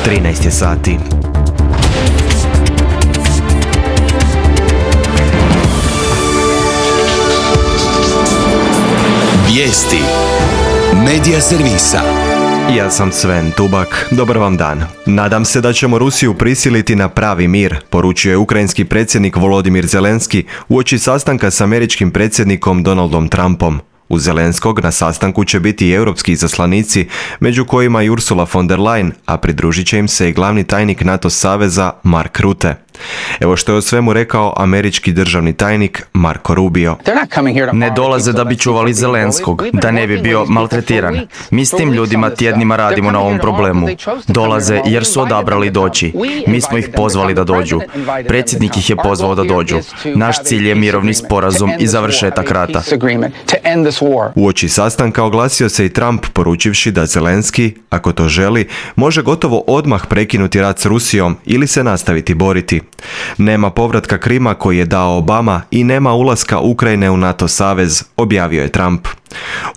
13 je sati. Vijesti Medija servisa. Ja sam Sven Tubak, dobar vam dan. Nadam se da ćemo Rusiju prisiliti na pravi mir, poručio je ukrajinski predsjednik Volodimir Zelenski uoči sastanka s američkim predsjednikom Donaldom Trumpom. Uz Zelenskog na sastanku će biti i europski izaslanici, među kojima i Ursula von der Leyen, a pridružit će im se i glavni tajnik NATO saveza Mark Rutte. Evo što je o svemu rekao američki državni tajnik Marco Rubio. Ne dolaze da bi čuvali Zelenskog, da ne bi bio maltretiran. Mi s tim ljudima tjednima radimo na ovom problemu. Dolaze jer su odabrali doći. Mi smo ih pozvali da dođu. Predsjednik ih je pozvao da dođu. Naš cilj je mirovni sporazum i završetak rata. Uoči sastanka oglasio se i Trump poručivši da Zelenski, ako to želi, može gotovo odmah prekinuti rat s Rusijom ili se nastaviti boriti. Nema povratka Krima koji je dao Obama i nema ulaska Ukrajine u NATO savez, objavio je Trump.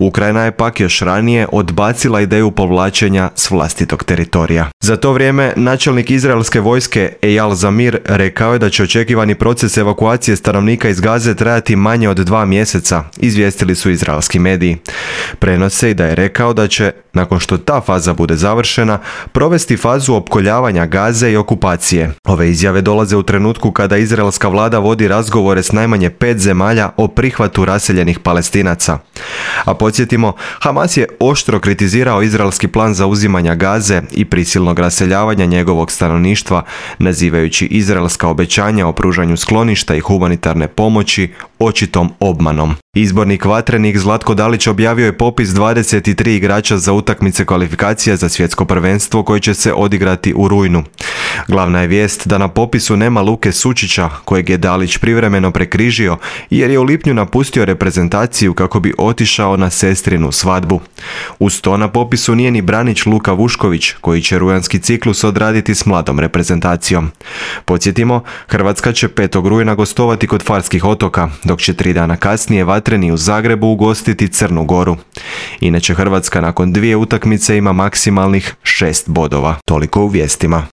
Ukrajina je pak još ranije odbacila ideju povlačenja s vlastitog teritorija. Za to vrijeme načelnik izraelske vojske Eyal Zamir rekao je da će očekivani proces evakuacije stanovnika iz Gaze trajati manje od 2 mjeseca, izvijestili su izraelski mediji. Prenose i da je rekao da će, nakon što ta faza bude završena, provesti fazu opkoljavanja Gaze i okupacije. Ove izjave dolaze u trenutku kada izraelska vlada vodi razgovore s najmanje 5 zemalja o prihvatu raseljenih Palestinaca. A podsjetimo, Hamas je oštro kritizirao izraelski plan zauzimanja Gaze i prisilnog raseljavanja njegovog stanovništva, nazivajući izraelska obećanja o pružanju skloništa i humanitarne pomoći očitom obmanom. Izbornik Vatrenik Zlatko Dalić objavio je popis 23 igrača za utakmice kvalifikacija za svjetsko prvenstvo koje će se odigrati u rujnu. Glavna je vijest da na popisu nema Luke Sučića, kojeg je Dalić privremeno prekrižio jer je u lipnju napustio reprezentaciju kako bi otišao na sestrinu svadbu. Uz to na popisu nije ni branič Luka Vušković, koji će rujanski ciklus odraditi s mladom reprezentacijom. Podsjetimo, Hrvatska će 5. rujna gostovati kod Farskih otoka, dok će 3 dana kasnije Vatreni u Zagrebu ugostiti Crnu Goru. Inače, Hrvatska nakon 2 utakmice ima maksimalnih 6 bodova. Toliko u vijestima.